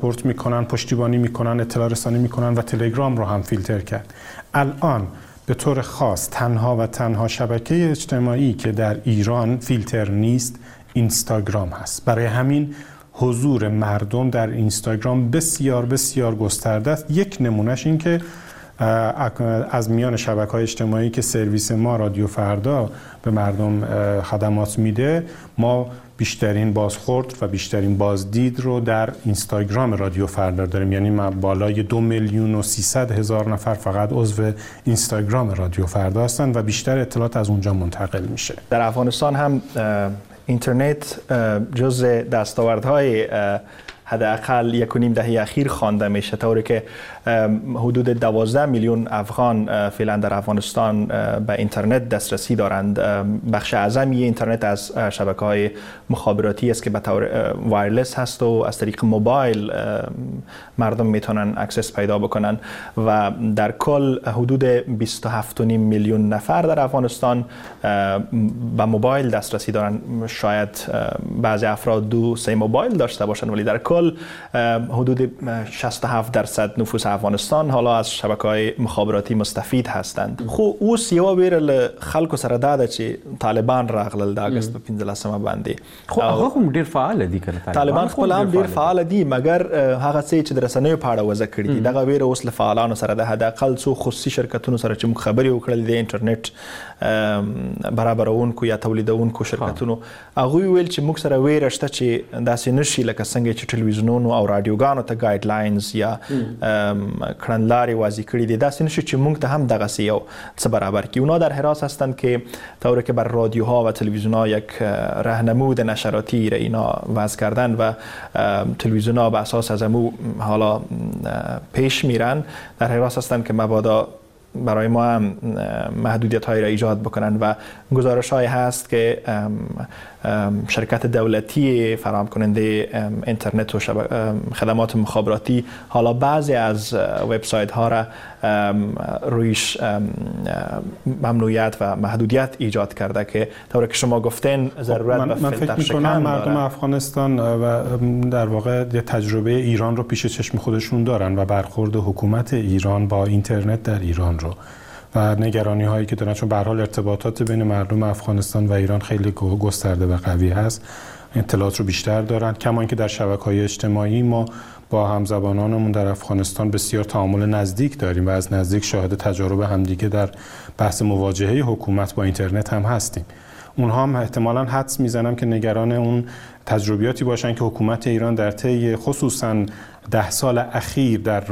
support میکنن، پشتیبانی میکنن، اطلاع رسانی میکنن و تلگرام رو هم فیلتر کرد. الان به طور خاص تنها و تنها شبکه اجتماعی که در ایران فیلتر نیست اینستاگرام هست. برای همین حضور مردم در اینستاگرام بسیار بسیار گسترده است. یک نمونهش این که از میان شبکه‌های اجتماعی که سرویس ما رادیو فردا به مردم خدمات میده، ما بیشترین بازخورد و بیشترین بازدید رو در اینستاگرام رادیو فردا داریم. یعنی ما بالای 2,300,000 نفر فقط عضو اینستاگرام رادیو فردا هستن و بیشتر اطلاعات از اونجا منتقل میشه. در افغانستان هم اینترنت جزء دستاوردهای حداقل 1.5 دهه اخیر خوانده میشه، طوری که حدود 12 میلیون افغان فعلا در افغانستان به اینترنت دسترسی دارند. بخش اعظمی اینترنت از شبکه‌های مخابراتی است که به طور wireless هست و از طریق موبایل مردم میتونن access پیدا بکنن و در کل حدود 27.5 میلیون نفر در افغانستان به موبایل دسترسی دارن. شاید بعضی افراد 2-3 موبایل داشته باشن، ولی در کل حدود 67% نفوس افغانستان حالا از شبکه‌های مخابراتی مستفید هستند. خو اوس یو ویره له خلکو سره دا ده چې طالبان راغلل د اګست په 15 باندې. خو هغه هم ډیر فعال دي کنه، طالبان خپل هم ډیر فعال دي، مګر هغه څه چې د رسنیو په اړه وضع کړي دي دغه ویره اوس له فعالانو سره ده. حداقل څو خصوصي شرکتونو سره چې موږ خبرې وکړلې د انټرنیټ برابرونکو یا تولیدونکو شرکتونو، هغوی ویل چې موږ سره ویره شته چې داسې نشي لکه څنګه چې تلویزیونونو او رادیوګانو ته guidelines یا کړنلارې واضح کړي دي، داسې نشي چې موږ ته هم دغسې یو څه برابر کړي. اونا در حراس هستند که طوری که بر رادیوها و تلویزیون‌ها یک رهنمود نشراتی را اینا وضع کردن و تلویزیون‌ها به اساس از امو حالا پیش میرن، در حراس هستند که مبادا برای ما هم محدودیت هایی را ایجاد بکنن و گزارش هایی هست که شرکت دولتی فراهم کننده اینترنت و خدمات مخابراتی حالا بعضی از وبسایت ها را رویش ممنوعیت و محدودیت ایجاد کرده که طوری که شما گفتین ضرورت به من فکر می‌کنم مردم افغانستان و در واقع یه تجربه ایران رو پیش چشم خودشون دارن و برخورد حکومت ایران با اینترنت در ایران رو و نگرانی هایی که دارن، چون به هر حال ارتباطات بین مردم افغانستان و ایران خیلی گسترده و قوی هست، اطلاعات رو بیشتر دارن. کما اینکه در شبکه‌های اجتماعی ما با همزبانانمون در افغانستان بسیار تعامل نزدیک داریم و از نزدیک شاهد تجارب همدیگه در بحث مواجهه حکومت با اینترنت هم هستیم. اونها هم احتمالاً حدس میزنم که نگران اون تجربیاتی باشن که حکومت ایران در طی خصوصاً 10 سال اخیر در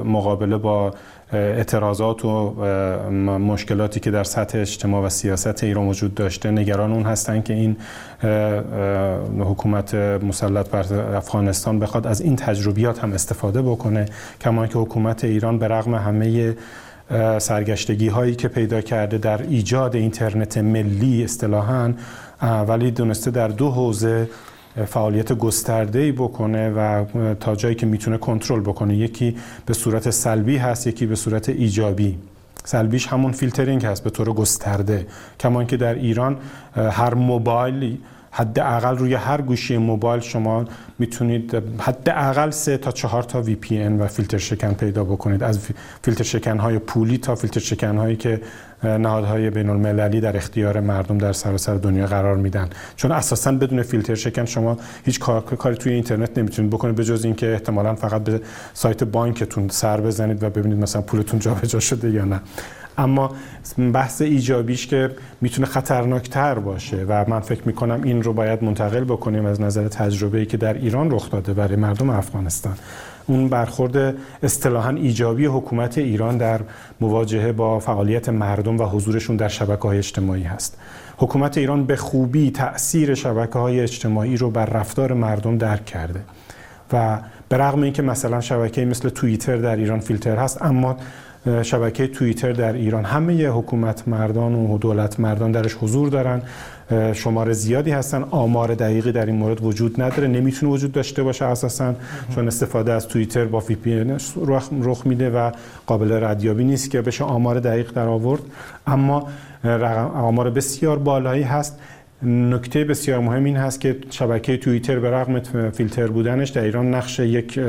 مقابله با اعتراضات و مشکلاتی که در سطح اجتماع و سیاست ایران وجود داشته، نگران اون هستن که این حکومت مسلط بر افغانستان بخواد از این تجربیات هم استفاده بکنه. کما اینکه حکومت ایران به رغم همه سرگشتگی هایی که پیدا کرده در ایجاد اینترنت ملی اصطلاحاً، ولی دونسته در دو حوزه فعالیت گسترده‌ای بکنه و تا جایی که میتونه کنترل بکنه. یکی به صورت سلبی هست، یکی به صورت ایجابی. سلبیش همون فیلترینگ هست به طور گسترده، کما اینکه در ایران هر موبایل حداقل روی هر گوشی موبایل شما میتونید حداقل 3 تا 4 تا VPN و فیلتر شکن پیدا بکنید، از فیلتر شکن های پولی تا فیلتر شکن هایی که نهادهای بین المللی در اختیار مردم در سراسر دنیا قرار میدن. چون اساساً بدون فیلتر شکن شما هیچ کاری توی اینترنت نمیتونید بکنید، به جز اینکه احتمالاً فقط به سایت بانکتون سر بزنید و ببینید مثلا پولتون جابجا شده یا نه. اما بحث ایجابیش که میتونه خطرناکتر باشه و من فکر میکنم این رو باید منتقل بکنیم از نظر تجربه‌ای که در ایران رخ داده برای مردم افغانستان، اون برخورد اصطلاحاً ایجابی حکومت ایران در مواجهه با فعالیت مردم و حضورشون در شبکه‌های اجتماعی هست. حکومت ایران به خوبی تأثیر شبکه‌های اجتماعی رو بر رفتار مردم درک کرده و به رغم اینکه مثلا شبکه‌ای مثل توییتر در ایران فیلتر هست، اما شبکه توییتر در ایران همه حکومت مردان و دولت مردان درش حضور دارن، شمار زیادی هستن، آمار دقیقی در این مورد وجود نداره، نمیتونه وجود داشته باشه اساساً، چون استفاده از توییتر با VPN رخ میده و قابل ردیابی نیست که بشه آمار دقیق در آورد، اما آمار بسیار بالایی هست. نکته بسیار مهم این هست که شبکه توییتر به رغم فیلتر بودنش در ایران نقش یک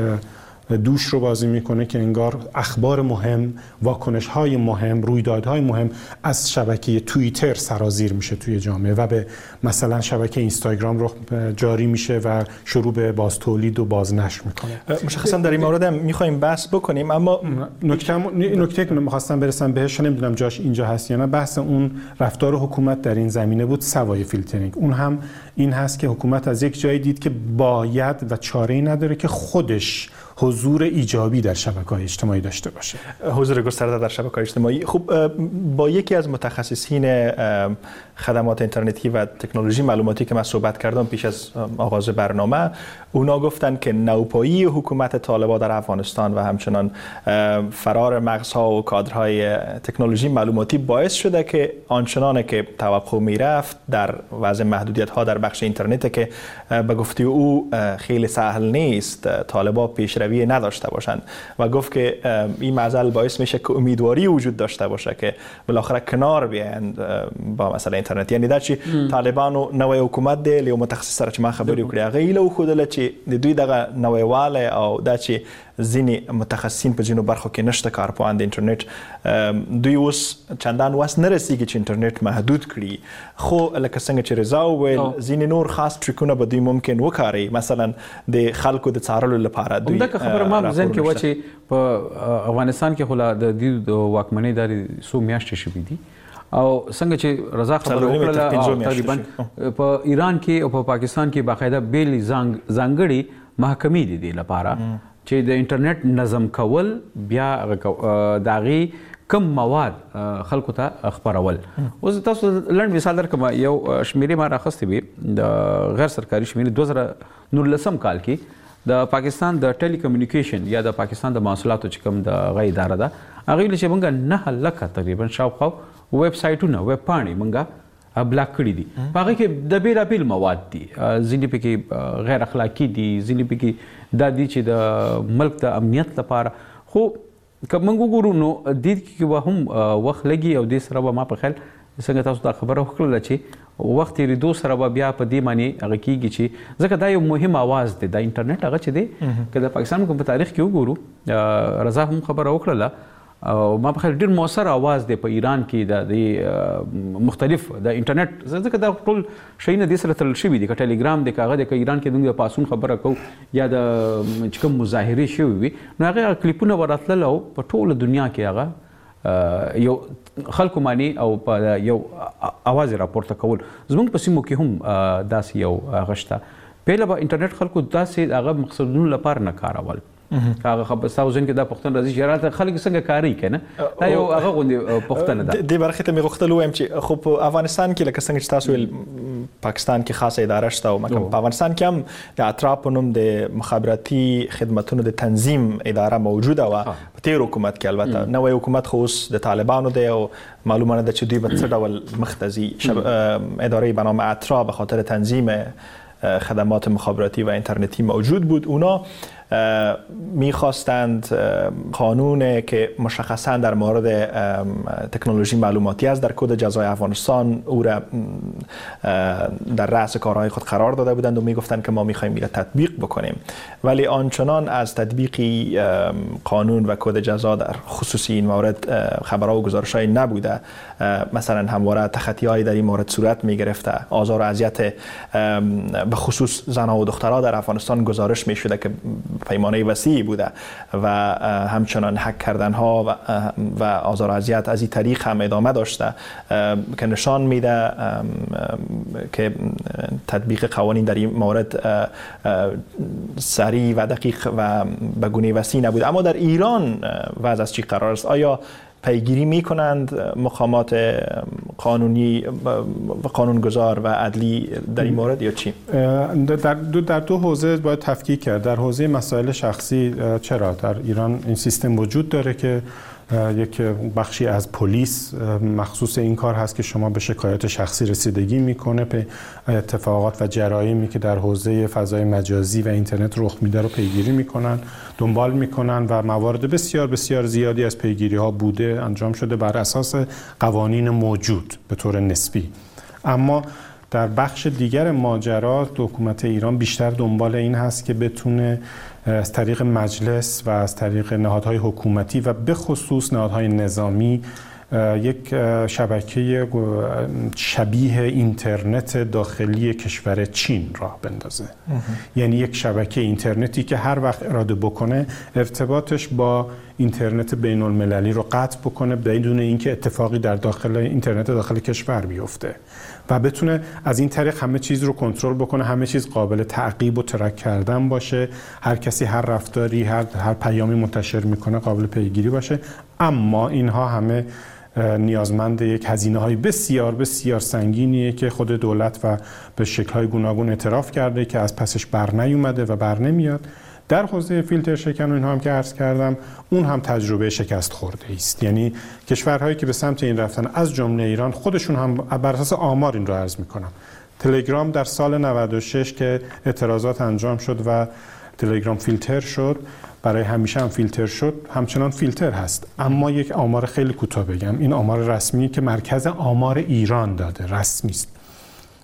دوش رو بازی میکنه که انگار اخبار مهم، واکنش‌های مهم، رویدادهای مهم از شبکه توییتر سرازیر میشه توی جامعه و به مثلا شبکه اینستاگرام رو جاری میشه و شروع به بازتولید و بازنشر میکنه. مشخصا در این مورد هم میخوایم بحث بکنیم، اما نکته که میخواستم برسم بهش، نمیدونم جاش اینجا هست یا نه، بحث اون رفتار حکومت در این زمینه بود سوای فیلترینگ. اون هم این هست که حکومت از یک جایی دید که باید و چاره‌ای نداره که خودش حضور ایجابی در شبکه‌های اجتماعی داشته باشه، حضور گسترده در شبکه‌های اجتماعی. خب با یکی از متخصصین خدمات اینترنتی و تکنولوژی معلوماتی که من صحبت کردم پیش از آغاز برنامه، اونا گفتن که نوپایی حکومت طالبان در افغانستان و همچنان فرار مغزها و کادرهای تکنولوژی معلوماتی باعث شده که آنچنان که توقع میرفت در وضع محدودیت‌ها در بخش اینترنت که به گفته او خیلی سهل نیست، طالبان پیشروی نداشته باشند و گفت که این معضل باعث میشه که امیدواری وجود داشته باشه که بالاخره کنار بیایند با مسئله اینترنت. یعنی دا چې طالبانو نوې حکومت دی، له متخصص سره چې ما خبرې وکړې هغه هیله وښودله چې د دوی دغه نویوالی او دا چې ځینې متخصصین په ځینو برخو کې نشته کارپوهان د انټرنیټ، دوی اوس چندان وس نه رسیږي چې انټرنیټ محدود کړي، خو لکه څنګه چې رضا وویل ځینې نور خاص ټریکونه به دوی ممکن وکاروي، مثلا د خلکو د څارلو لپاره. دوی همدغه خبره ما په ذهن کې وه چې په افغانستان کې خو لا د دوی د واکمنۍ دارې څو میاشتې شوې دي، او څنګه چې رضا خبره وکړله تقریبا په ایران کې او په پاکستان کې باقاعده بېلې ځانګړې محکمې دي دې لپاره چې د انټرنیټ نظم کول، بیا د هغې کم مواد خلکو ته خپرول. اوس تاسو لنډ مثال درکړم، یو شمېرې ما راخیستې وې د غیر سرکاري شمېرې 2019 کال کې د پاکستان د ټیلی کمیونیکیشن یا د پاکستان د محصولاتو چې کوم د هغه اداره ده، هغه ویل چې موږ 9 لکه تقریبا شاوخوا ویب سایټونه، ویب پاڼې موږ بلاک کړي دي. په هغې کې د بېلابېل مواد دي، ځینې پکې غیر اخلاقي دي، ځینې پکې دا دي چې د ملک د امنیت لپاره. خو که موږ وګورو نو دې کې به هم وخت لګي، او دې سره به ما په خیال څنګه تاسو دا خبره وکړله چې وخت تېرېدو سره به بیا په دې معنی هغه کېږي چې ځکه دا یو مهم اواز دی، دا انټرنیټ هغه چې دی که د پاکستان کوم په تاریخ کې وګورو، رضا هم خبره وکړله، او ما په خیال ډېر موثر اواز دی په ایران کې د مختلف د انټرنیټ، ځکه دا ټول شیونه دې سره تړل شوي دي، که ټیلیګرام دی، که هغه دی، که ایران کې موږ د پاڅون خبره کوو یا د چې کوم مظاهرې شوې وي، نو هغه کلیپونه به راتلل او په ټوله دنیا کې هغه یو خلکو معنی او په یو اواز یې راپورته کول. زموږ په سیمو کې هم داسې یو هغه شته. پهله به انټرنیټ خلکو داسې هغه مقصدونو لپاره نه کارول. هغه خبر ستاسو ذهن کې دا پوښتنه راځي چې راته خلک څنګه کاري که نه، دا یو هغه غوندې پوښتنه ده. دې برخې ته مې غوښتل ووایم چې خو په افغانستان کې لکه څنګه چې تاسو ویل پاکستان کې خاصه اداره شته، او په افغانستان کې هم د اترا په نوم د مخابراتي خدمتونو د تنظیم اداره موجوده وه په تېر حکومت کې. البته نوی حکومت خو اوس د طالبانو دی او معلومه نه ده چې دوی به څه ډول مخ ته ځي. اداره به نام اترا به خاطر تنظیم خدمات مخابراتی و اینترنتی موجود بود. اونا میخواستند قانون که مشخصا در مورد تکنولوژی معلوماتی است در کد جزای افغانستان او را در رأس کارهای خود قرار داده بودند و میگفتند که ما میخوایم این را تطبیق بکنیم، ولی آنچنان از تطبیق قانون و کد جزا در خصوصی این مورد خبرها و گزارش‌های نبوده. مثلا همواره تخطی‌های در این مورد صورت میگرفته، آزار و اذیت به خصوص زنها و دخترها در افغانستان گزارش میشده که پیمانه وسیعی بوده و همچنان هک کردن ها و آزار و اذیت از این طریق هم ادامه داشته که نشان میده که تطبیق قوانین در این مورد سریع و دقیق و به گونه وسیع نبوده. اما در ایران وضع از چی قرار است؟ آیا پیگیری میکنند مقامات قانونی و قانونگذار و عدلی در این مورد یا چی؟ در دو حوزه باید تفکیک کرد. در حوزه مسائل شخصی چرا در ایران این سیستم وجود داره که یک بخشی از پلیس مخصوص این کار هست که شما به شکایات شخصی رسیدگی میکنه، به اتفاقات و جرایمی که در حوزه فضای مجازی و اینترنت رخ میده رو پیگیری میکنن، دنبال میکنن و موارد بسیار بسیار زیادی از پیگیری ها بوده، انجام شده بر اساس قوانین موجود به طور نسبی. اما در بخش دیگر ماجرا حکومت ایران بیشتر دنبال این هست که بتونه از طریق مجلس و از طریق نهادهای حکومتی و به خصوص نهادهای نظامی یک شبکه شبیه اینترنت داخلی کشور چین راه بندازه. یعنی یک شبکه اینترنتی که هر وقت اراده بکنه ارتباطش با اینترنت بین المللی رو قطع بکنه بدون اینکه اتفاقی در داخل اینترنت داخل کشور بیفته و بتونه از این طریق همه چیز رو کنترل بکنه، همه چیز قابل تعقیب و ترک کردن باشه، هر کسی هر رفتاری هر پیامی منتشر میکنه قابل پیگیری باشه. اما اینها همه نیازمند یک هزینه‌های بسیار بسیار سنگینیه که خود دولت و به شکل‌های گوناگون اعتراف کرده که از پسش بر نیومده و بر نمیاد. در حوزه فیلتر شکن و اینها هم که عرض کردم، اون هم تجربه شکست خورده است. یعنی کشورهایی که به سمت این رفتن از جمله ایران، خودشون هم بر اساس آمار این رو عرض میکنم. تلگرام در سال 96 که اعتراضات انجام شد و تلگرام فیلتر شد، برای همیشه هم فیلتر شد، همچنان فیلتر هست. اما یک آمار خیلی کوتاه بگم، این آمار رسمی که مرکز آمار ایران داده، رسمی است.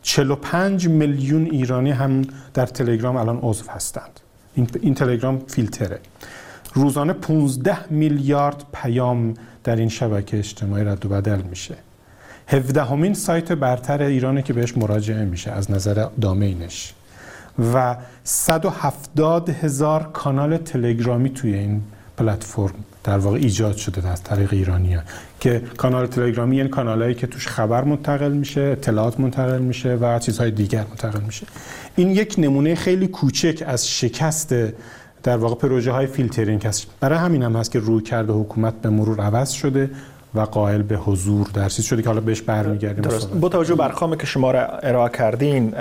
45 میلیون ایرانی هم در تلگرام الان عضو هستند. این تلگرام فیلتره. روزانه 15 میلیارد پیام در این شبکه اجتماعی رد و بدل میشه. 17مین سایت برتر ایرانه که بهش مراجعه میشه از نظر domain ش و 170,000 کانال تلگرامی توی این پلتفرم در واقع ایجاد شده از طریق ایرانی‌ها، که کانال تلگرامی یعنی کانالایی که توش خبر منتقل میشه، اطلاعات منتقل میشه و چیزهای دیگر منتقل میشه. این یک نمونه خیلی کوچک از شکست در واقع پروژه های فیلترینگ هست. برای همین هم هست که رویکرد حکومت به مرور عوض شده و قائل به حضور در چیز شده که حالا بهش برمیگردیم. درست. با توجه به ارقامی که شما را ارائه کردین،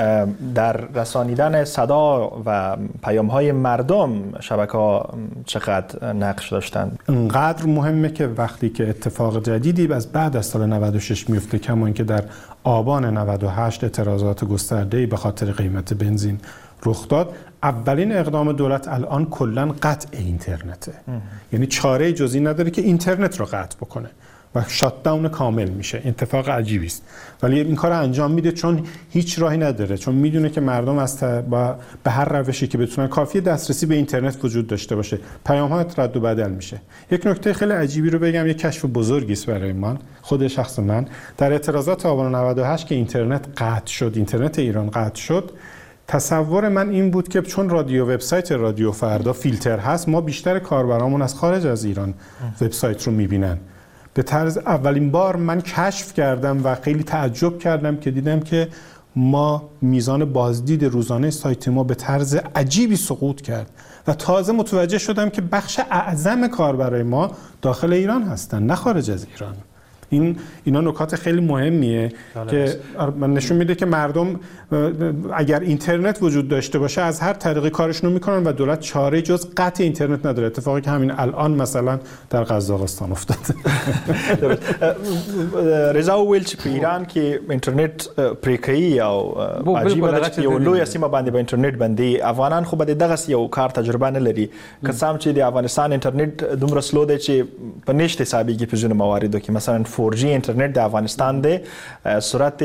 در رسانیدن صدا و پیام‌های مردم شبکه‌ها چقدر نقش داشتند؟ انقدر مهمه که وقتی که اتفاق جدیدی از بعد از سال 96 میفته، کما اینکه در آبان 98 اعتراضات گسترده‌ای به خاطر قیمت بنزین رخ داد، اولین اقدام دولت الان کلاً قطع اینترنته. یعنی چاره جزئی نداره که اینترنت رو قطع بکنه و shutdown کامل میشه. اتفاق عجیبی است، ولی این کار انجام میده چون هیچ راهی نداره، چون میدونه که مردم از به هر روشی که بتونن، کافیه دسترسی به اینترنت وجود داشته باشه، پیام ها رد و بدل میشه. یک نکته خیلی عجیبی رو بگم، یک کشف بزرگی است برای من، خود شخص من، در اعتراضات آبان 98 که اینترنت قطع شد، اینترنت ایران قطع شد، تصور من این بود که چون رادیو وبسایت رادیو فردا فیلتر هست، ما بیشتر کاربرامون از خارج از ایران وبسایت رو میبینن. به طرز اولین بار من کشف کردم و خیلی تعجب کردم که دیدم که ما میزان بازدید روزانه سایت ما به طرز عجیبی سقوط کرد و تازه متوجه شدم که بخش اعظم کاربرای ما داخل ایران هستن، نه خارج از ایران. اینا نکات خیلی مهمیه که من نشون میده که مردم اگر اینترنت وجود داشته باشه از هر طریقی کارشون رو میکنن و دولت چاره جز قطع اینترنت نداره. اتفاقی که همین الان مثلا در قزاقستان افتاد. رضا وویل چې په ایران کې انټرنیټ پرې کوي او عجیبه ده چې یو لویه سیمه باندې به انټرنیټ بندي. افغانان خو به دغسې یو کار تجربه نه لري، که څه هم چې د افغانستان انټرنیټ دومره slow دی چې په نشت حسابېږي په ځینو مواردو کې. مثلا 4G انټرنیټ د افغانستان دی سرعت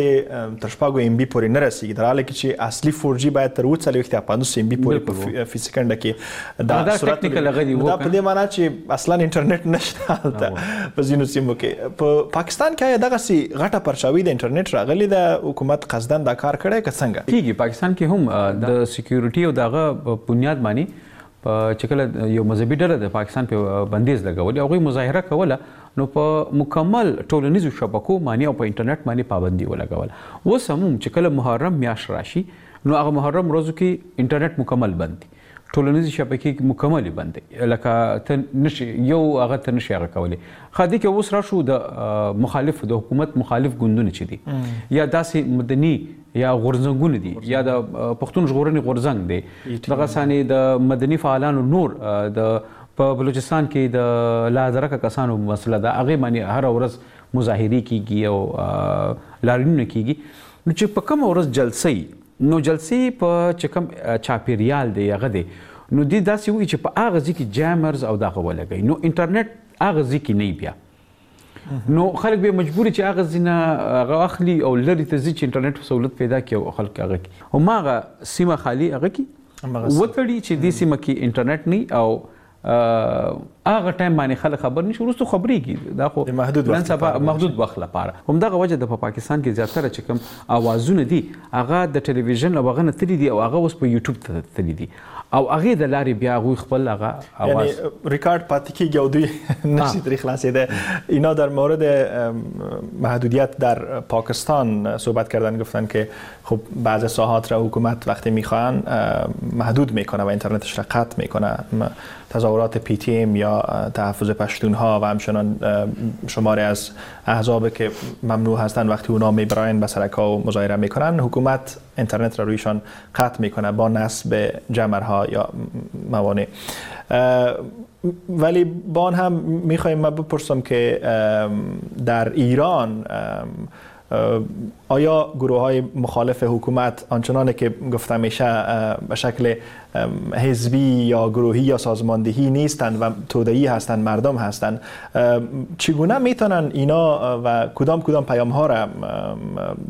تر شپږو MB پورې نه رسیږي، در حال کې چې اصلي 4G باید تر 47 یا 50 MB پورې په فی سیکنډ کې دا سرعت دا په دې معنی چې اصلا انټرنیټ نشته هلته په ځینو سیمو کې. په پاکستان کې آیا دغسې غټه پرچاوي د انټرنیټ راغلې ده؟ حکومت قصداً دا کار کړی که څنګه کیږي؟ پاکستان کې هم د security او دغه بنیاد باندې چې کله یو مذهبي ډله د پاکستان په بندیز لګولی، هغوی مظاهره کوله، نو په مکمل ټولنیزو شبکو باندې او په انټرنیټ باندې پابندي ولګوله. اوس هم چې کله محرم میاشت راشي، نو هغه محرم ورځو کې انټرنیټ مکمل بند دی، ټولنیزې شبکې مکملې بند دی، لکه ته نشي یو هغه ته نشي هغه کولی. ښه دې کې اوس راشو د مخالف د حکومت مخالف ګوندونه چې دي، یا داسې مدني یا غورځنګونه دي، یا د پښتون ژغورنې غورځنګ دی، دغه سانې د مدني فعالانو نور د په بلوچستان کې د لادرکه کسانو مسله ده، هغې باندې هره ورځ مظاهرې کیږي او لاریونونه کیږي. نو چې په کومه ورځ جلسې، نو جلسې په چې کوم چاپیریال دی هغه دی، نو دې داسې وایي چې په هغه ځای کې jammers او دغه ولګوي، نو انټرنیټ هغه ځای کې نه بیا. نو خلک به مجبور چې هغه ځینه هغه اخلي او لرې ته ځي چې انټرنیټ سهولت پیدا کړي او خلک هغه کړي. هماغه سیمه خالي هغه کې وتړي چې دې سیمه کې انټرنیټ نه او هغه ټایم باندې خلک خبر نشي، وروسته خبرېږي. دا خو نن سبا محدود وخت لپاره. همدغه وجه ده په پاکستان کې زیاتره چې کوم اوازونه دي هغه د ټلویزیون او هغه نه تللي دي او هغه اوس په یوټیوب ته تللي دي او هغې د لارې بیا هغوی خپل هغه آواز، یعنی ریکارد پاتې کېږي او دوی نشي ترې خلاصېده. اینا در مورد محدودیت در پاکستان صحبت کردن، گفتن که خب بعض ساحات را حکومت وقتی میخوان محدود میکنه و اینترنتش را قطع میکنه. تظاهرات پی تی ام یا تحفظ پشتون ها و همچنان شماری از احزاب که ممنوع هستند وقتی اونا میبراین به سرک ها و مظاهره میکنن، حکومت اینترنت را رویشان قطع میکنه با نصب جمرها یا موانع. ولی با آن هم میخوایم ما بپرسم که در ایران آیا گروه های مخالف حکومت آنچنان که گفته میشه به شکل حزبی یا گروهی یا سازماندهی نیستند و توده‌ای هستند، مردم هستند، چگونه میتونن اینا و کدام کدام پیام ها را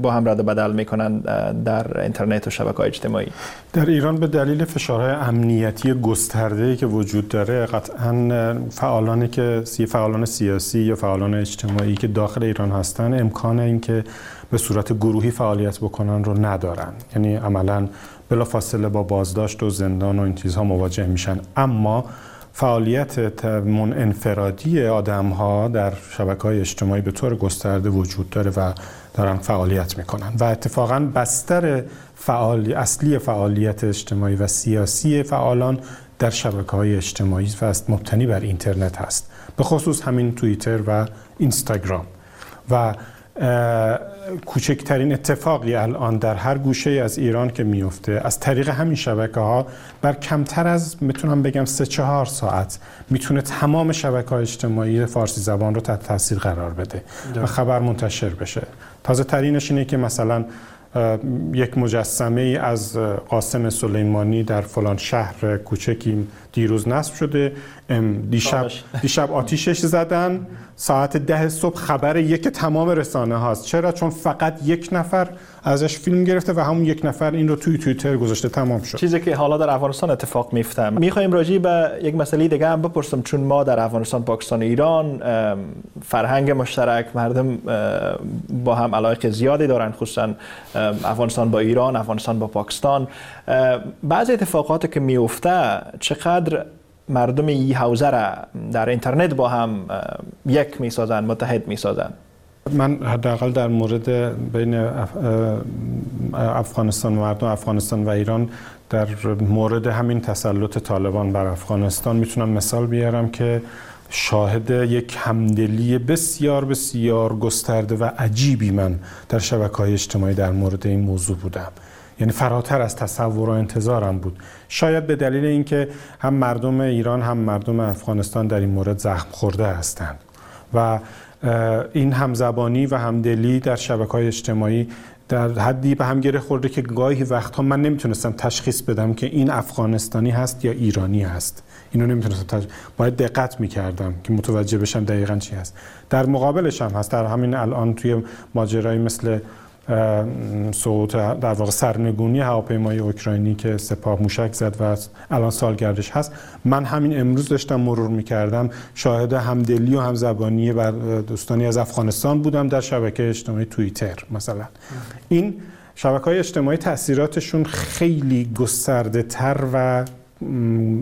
با هم رد و بدل میکنن در اینترنت و شبکه‌های اجتماعی؟ در ایران به دلیل فشارهای امنیتی گسترده‌ای که وجود داره، قطعاً فعالانی که فعالان سیاسی یا فعالان اجتماعی که داخل ایران هستن امکان اینکه به صورت گروهی فعالیت بکنن رو ندارن، یعنی عملاً بلافاصله با بازداشت و زندان و این چیزها مواجه میشن. اما فعالیت انفرادی آدم‌ها در شبکه‌های اجتماعی به طور گسترده وجود داره و دارن فعالیت میکنن و اتفاقاً بستر اصلی فعالیت اجتماعی و سیاسی فعالان در شبکه‌های اجتماعی و مبتنی بر اینترنت هست، به خصوص همین توییتر و اینستاگرام. و کوچکترین اتفاقی الان در هر گوشه از ایران که میفته از طریق همین شبکه‌ها بر کمتر از میتونم بگم 3-4 ساعت میتونه تمام شبکه‌های اجتماعی فارسی زبان رو تحت تاثیر قرار بده و خبر منتشر بشه. تازه ترینش اینه که مثلا یک مجسمه ای از قاسم سلیمانی در فلان شهر کوچکی دیروز نصب شده، دیشب آتیشش زدن، ساعت 10 صبح خبر یک تمام رسانه هاست. چرا؟ چون فقط یک نفر ازش فیلم گرفته و همون یک نفر این رو توی توییتر گذاشته، تمام شد. چیزی که حالا در افغانستان اتفاق میفته. میخوایم راجع به یک مسئله دیگه هم بپرسم، چون ما در افغانستان، پاکستان، ایران فرهنگ مشترک، مردم با هم علاقه زیادی دارن، خصوصا افغانستان با ایران، افغانستان با پاکستان. بعضی اتفاقاتی که میفته چقدر مردم این حوزه را در اینترنت با هم یک میسازن، متحد میسازن؟ من حداقل در مورد بین افغانستان و مردم افغانستان و ایران در مورد همین تسلط طالبان بر افغانستان میتونم مثال بیارم که شاهد یک همدلی بسیار بسیار گسترده و عجیبی من در شبکه‌های اجتماعی در مورد این موضوع بودم. یعنی فراتر از تصور و انتظارم بود. شاید به دلیل اینکه هم مردم ایران هم مردم افغانستان در این مورد زخم خورده هستند و این همزبانی و همدلی در شبکه‌های اجتماعی در حدی به هم گره خورده که گاهی وقتها من نمیتونستم تشخیص بدم که این افغانستانی هست یا ایرانی هست. اینو نمیتونستم باید دقت میکردم که متوجه بشم دقیقاً چی هست. در مقابلش هم هست، در همین الان توی ماجرایی مثل سقوط در واقع سرنگونی هواپیمای اوکراینی که سپاه موشک زد و الان سالگردش هست، من همین امروز داشتم مرور می‌کردم، شاهد همدلی و همزبانی بر دوستانی از افغانستان بودم در شبکه اجتماعی توییتر مثلا. این شبکه‌های اجتماعی تأثیراتشون خیلی گسترده‌تر و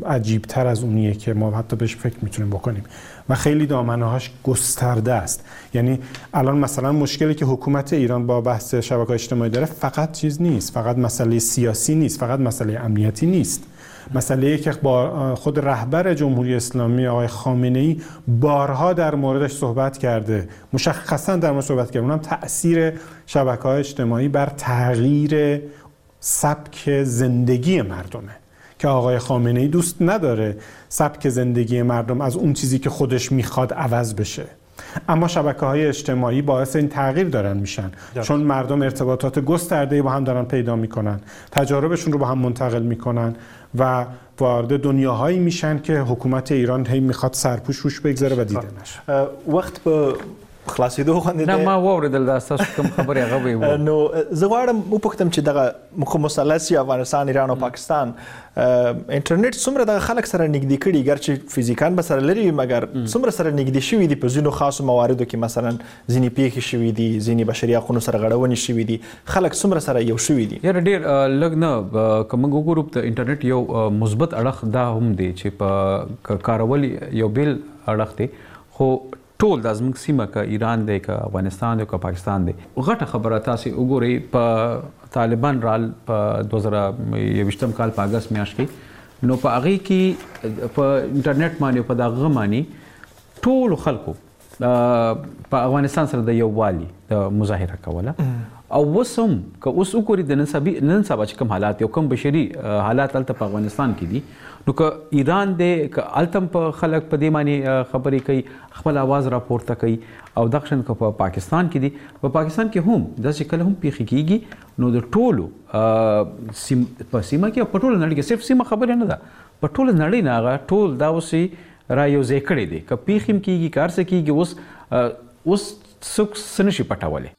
عجیب‌تر از اونیه که ما حتی بهش فکر میتونیم بکنیم و خیلی دامنه‌هاش گسترده است. یعنی الان مثلا مشکلی که حکومت ایران با بحث شبکه‌های اجتماعی داره فقط چیز نیست، فقط مسئله سیاسی نیست، فقط مسئله امنیتی نیست، مسئله‌ای که با خود رهبر جمهوری اسلامی آقای خامنه‌ای بارها در موردش صحبت کرده، مشخصاً در مورد صحبت کرده، اونم تأثیر شبکه‌های اجتماعی بر تغییر سبک زندگی مردمه که آقای خامنه‌ای دوست نداره سبک زندگی مردم از اون چیزی که خودش میخواد عوض بشه، اما شبکه‌های اجتماعی باعث این تغییر دارن میشن، چون مردم ارتباطات گسترده‌ای با هم دارن پیدا میکنن، تجاربشون رو با هم منتقل میکنن و وارد دنیاهایی میشن که حکومت ایران هی میخواد سرپوش روش بگذاره و دیده نشه. وقت به خلاصېدو غوندې دی. نه، ما واورېدل دا ستاسو کوم خبرې هغه به یې. نو زه غواړم وپوښتم چې دغه خو مثلث افغانستان، ایران او پاکستان انټرنیټ څومره دغه خلک سره نږدې کړي، ګرچې فزیکان به سره لري وي، مګر څومره سره نږدې شوي دي په ځینو خاصو مواردو کې، مثلا ځینې پیښې شوي دي، ځینې بشري حقونو سره غړونې شوي دي، خلک څومره سره یو شوي دي؟ یاره ډېر لږ نه. که موږ وګورو د انټرنیټ یو مثبت اړخ دا هم دی چې په کارول یو بېل اړخ دی، خو ټول دا زموږ سیمه که ایران دی، که افغانستان دی، که پاکستان دی، غټه خبره تاسې وګورئ په طالبان رال په 2021 کال په اګست میاشت کې، نو په هغې کې په انټرنیټ باندې په دغه باندې ټولو خلکو په افغانستان سره د یووالي د مظاهره کوله. او اوس هم که اوس وګورئ د نن سبا چې کوم حالات یو کوم بشري حالات هلته په افغانستان کې دي، نو که ایران دی که هلته هم په خلک په دې باندې خبرې کوي، خپل اواز راپورته کوي، او دغه شان که په پاکستان کې دي، په پاکستان کې هم داسې کله هم پیښې کیږي، نو د ټولو په سیمه کې او په ټوله نړۍ کې، صرف سیمه خبرې نه ده، په ټوله نړۍ نه هغه ټول دا اوس یې را یو ځای کړی دی. که پیښې هم کیږي، که هر څه کیږي، اوس څوک څه نه شي پټولی.